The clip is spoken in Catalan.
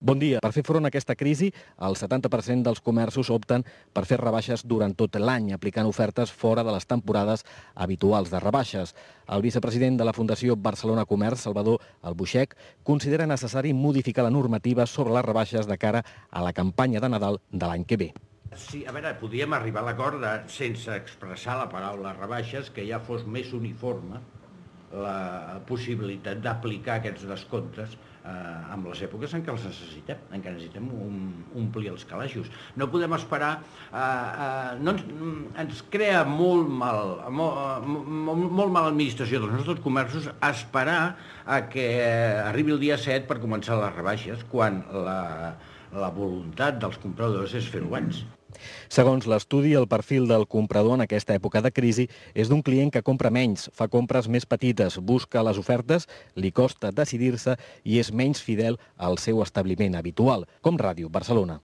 Bon dia. Per fer front a aquesta crisi, el 70% dels comerços opten per fer rebaixes durant tot l'any, aplicant ofertes fora de les temporades habituals de rebaixes. El vicepresident de la Fundació Barcelona Comerç, Salvador Albuixech, considera necessari modificar la normativa sobre les rebaixes de cara a la campanya de Nadal de l'any que ve. Sí, a veure, podíem arribar a l'acord sense expressar la paraula rebaixes, que ja fos més uniforme la possibilitat d'aplicar aquests descomptes amb les èpoques en què els necessitem, en què necessitem omplir els calaixos. No podem esperar, ens crea molt mala administració dels nostres comerços esperar a que arribi el dia 7 per començar les rebaixes, quan la voluntat dels compradors és fer-ho abans. Segons l'estudi, el perfil del comprador en aquesta època de crisi és d'un client que compra menys, fa compres més petites, busca les ofertes, li costa decidir-se i és menys fidel al seu establiment habitual, com Ràdio Barcelona.